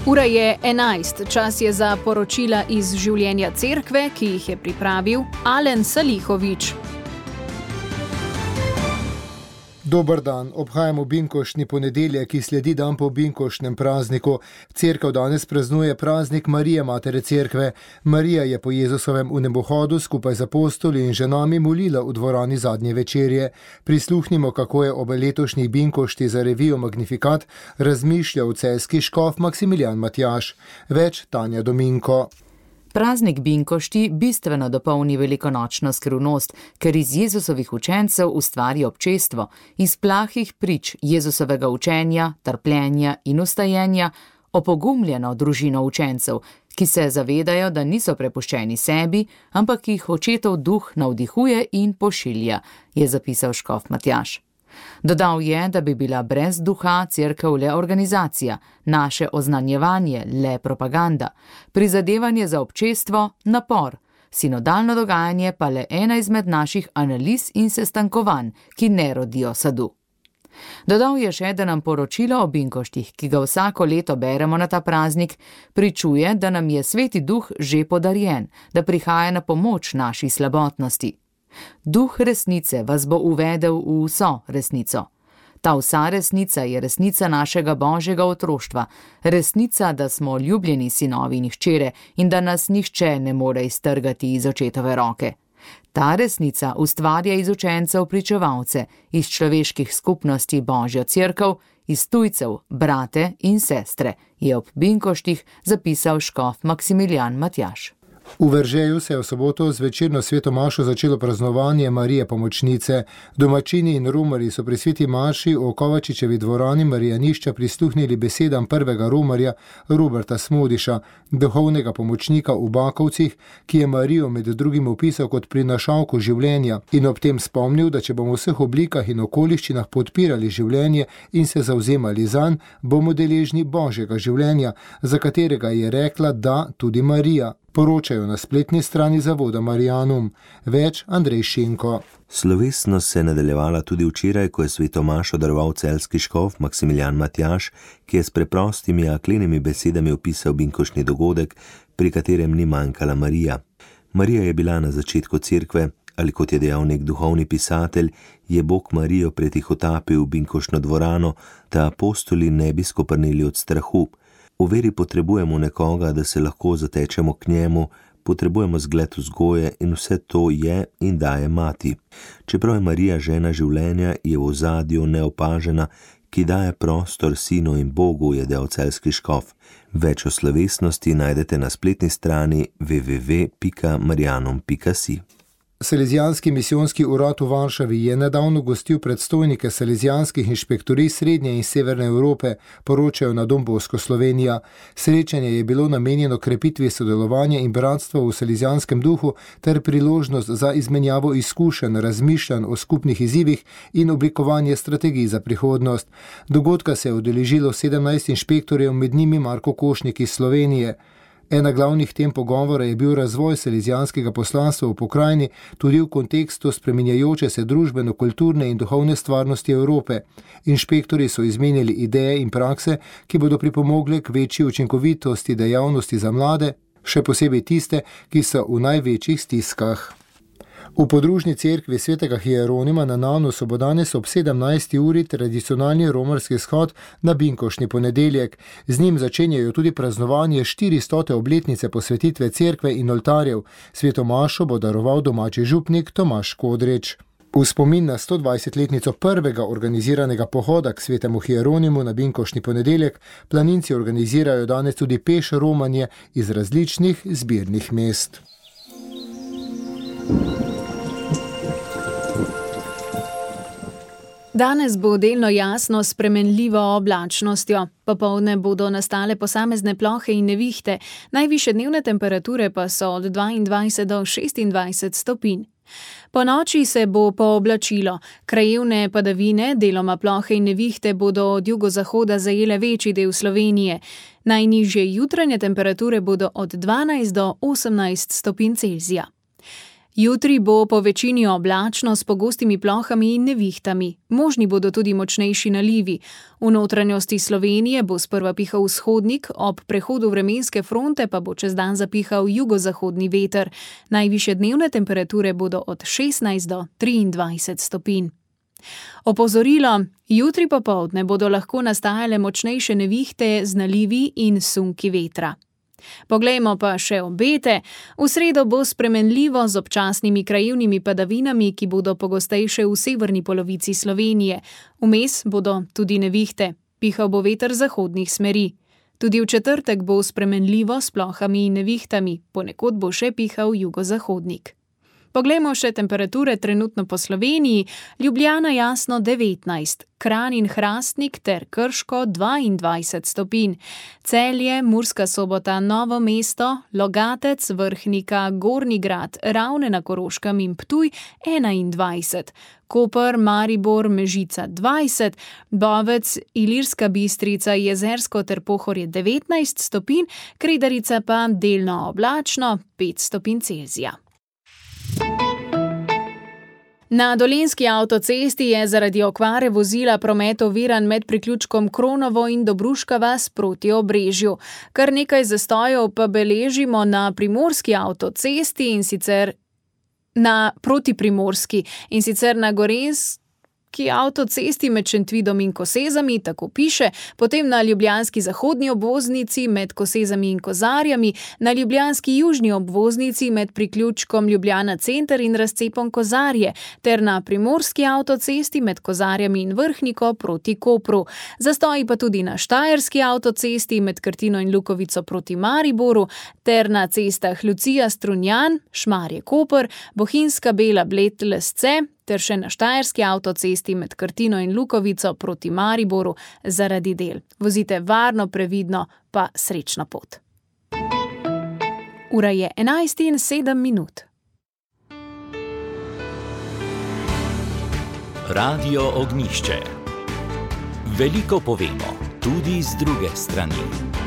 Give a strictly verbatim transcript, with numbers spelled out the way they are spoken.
Ura je enajst, čas je za poročila iz življenja cerkve, ki jih je pripravil Alen Salihovič. Dober dan, obhajamo binkoštni ponedeljek, ki sledi dan po binkoštnem prazniku. Cerkev danes praznuje praznik Marije, matere cerkve. Marija je po Jezusovem vnebohodu skupaj z apostoli in ženami molila v dvorani zadnje večerje. Prisluhnimo, kako je ob letošnjih binkošti za revijo Magnificat razmišljal celjski škof Maksimilijan Matjaž. Več Tanja Dominko. Praznik binkošti bistveno dopolni velikonočno skrivnost, ker iz Jezusovih učencev ustvari občestvo, iz plahih prič Jezusovega učenja, trpljenja in ustajenja opogumljeno družino učencev, ki se zavedajo, da niso prepuščeni sebi, ampak jih očetov duh navdihuje in pošilja, je zapisal škof Matjaž. Dodal je, da bi bila brez duha cerkev le organizacija, naše oznanjevanje le propaganda, prizadevanje za občestvo napor, sinodalno dogajanje pa le ena izmed naših analiz in sestankovanj, ki ne rodijo sadu. Dodal je še, da nam poročilo o binkoštih, ki ga vsako leto beremo na ta praznik, pričuje, da nam je Sveti Duh že podarjen, da prihaja na pomoč naši slabotnosti. Duh resnice vas bo uvedel v vso resnico. Ta vsa resnica je resnica našega božjega otroštva, resnica, da smo ljubljeni sinovi in hčere in da nas nihče ne more iztrgati iz očetove roke. Ta resnica ustvarja iz učencev pričevalce, iz človeških skupnosti božjo cerkev, iz tujcev, brate in sestre, je ob binkoštih zapisal škof Maksimilijan Matjaž. V Veržeju se je v soboto z večerno sveto mašo začelo praznovanje Marije pomočnice. Domačini in romarji so pri sveti maši v Kovačičevi dvorani Marijanišča prisluhnili besedam prvega romarja Roberta Smodiša, duhovnega pomočnika v Bakovcih, ki je Marijo med drugim opisal kot prinašalko življenja in ob tem spomnil, da če bomo v vseh oblikah in okoliščinah podpirali življenje in se zavzemali zanj, bomo deležni božjega življenja, za katerega je rekla da tudi Marija. Poročajo na spletni strani zavoda Marijanum. Več Andrej Šinko. Slovesnost se je nadaljevala tudi včeraj, ko je sveto mašo daroval celjski škof Maksimilijan Matjaž, ki je s preprostimi a klenimi besedami opisal binkoštni dogodek, pri katerem ni manjkala Marija. Marija je bila na začetku cerkve, ali kot je dejal nek duhovni pisatelj, je Bog Marijo pretihotapil v binkoštno dvorano, da apostoli ne bi skoprnili od strahu. V veri potrebujemo nekoga, da se lahko zatečemo k njemu, potrebujemo zgled vzgoje in vse to je in daje mati. Čeprav je Marija žena življenja, je v ozadju neopažena, ki daje prostor sinu in Bogu, je dejal celjski škof. Več o slovesnosti najdete na spletni strani w w w pika marijanum pika si. Salezijanski misijonski urad v Varšavi je nedavno gostil predstojnike salezijanskih inšpektorij Srednje in Severne Evrope, poročajo na Don Bosco Slovenija. Srečanje je bilo namenjeno krepitvi sodelovanja in bratstva v salezijanskem duhu ter priložnost za izmenjavo izkušenj, razmišljanj o skupnih izzivih in oblikovanje strategij za prihodnost. Dogodka se je udeležilo sedemnajst inšpektorjev, med njimi Marko Košnik iz Slovenije. Ena glavnih tem pogovora je bil razvoj salezijanskega poslanstva v pokrajini tudi v kontekstu spreminjajoče se družbeno-kulturne in duhovne stvarnosti Evrope. Inšpektori so izmenjali ideje in prakse, ki bodo pripomogle k večji učinkovitosti dejavnosti za mlade, še posebej tiste, ki so v največjih stiskah. V podružni cerkvi svetega Hieronima na Nanusu bo danes ob sedemnajsti uri tradicionalni romarski shod na binkoštni ponedeljek. Z njim začenjajo tudi praznovanje štiristote obletnice posvetitve cerkve in oltarjev. Sveto mašo bo daroval domači župnik Tomaž Kodrič. V spomin na stodvajsetletnico prvega organiziranega pohoda k svetemu Hieronimu na binkoštni ponedeljek planinci organizirajo danes tudi peš romanje iz različnih zbirnih mest. Danes bo delno jasno s spremenljivo oblačnostjo. Popoldne bodo nastale posamezne plohe in nevihte, najvišje dnevne temperature pa so od dvaindvajset do šestindvajset stopinj. Po noči se bo pooblačilo. Krajevne padavine, deloma plohe in nevihte bodo od jugozahoda zajele večji del Slovenije. Najnižje jutranje temperature bodo od dvanajst do osemnajst stopinj Celzija. Jutri bo po večini oblačno s pogostimi plohami in nevihtami. Možni bodo tudi močnejši nalivi. V notranjosti Slovenije bo sprva pihal vzhodnik, ob prehodu vremenske fronte pa bo čez dan zapihal jugozahodni veter. Najvišje dnevne temperature bodo od šestnajst do triindvajset stopinj. Opozorilo: jutri popoldne bodo lahko nastajale močnejše nevihte z nalivi in sunki vetra. Poglejmo pa še obete. V sredo bo spremenljivo z občasnimi krajevnimi padavinami, ki bodo pogostejše v severni polovici Slovenije. Vmes bodo tudi nevihte. Pihal bo veter zahodnih smeri. Tudi v četrtek bo spremenljivo s plohami in nevihtami, ponekod bo še pihal jugozahodnik. Poglejmo še temperature trenutno po Sloveniji. Ljubljana jasno devetnajst, Kranj in Hrastnik ter Krško dvaindvajset stopinj. Celje, Murska Sobota, Novo mesto, Logatec, Vrhnika, Gornji Grad, Ravne na Koroškem in Ptuj enaindvajset. Koper, Maribor, Mežica dvajset, Bovec, Ilirska Bistrica, Jezersko ter Pohorje devetnajst stopinj, Kredarica pa delno oblačno pet stopinj Celzija. Na Dolenjski avtocesti je zaradi okvare vozila promet oviran med priključkom Kronovo in Dobruška vas proti Obrežju. Kar nekaj zastojev pa beležimo na Primorski avtocesti in sicer na proti Primorski in sicer na Gorenjski avtocesti med Šentvidom in Kosezami, tako piše, potem na ljubljanski zahodni obvoznici med Kosezami in Kozarjami, na ljubljanski južni obvoznici med priključkom Ljubljana center in razcepom Kozarje, ter na Primorski avtocesti med Kozarjami in Vrhniko proti Kopru. Zastoji pa tudi na Štajerski avtocesti med Krtino in Lukovico proti Mariboru, ter na cestah Lucija Strunjan, Šmarje Koper, Bohinjska Bela Bled Lesce, ter še na Štajerski avtocesti med Krtino in Lukovico proti Mariboru zaradi del. Vozite varno, previdno, pa srečno pot. Ura je enajst in sedem minut. Radio Ognjišče. Veliko povemo, tudi z druge strani.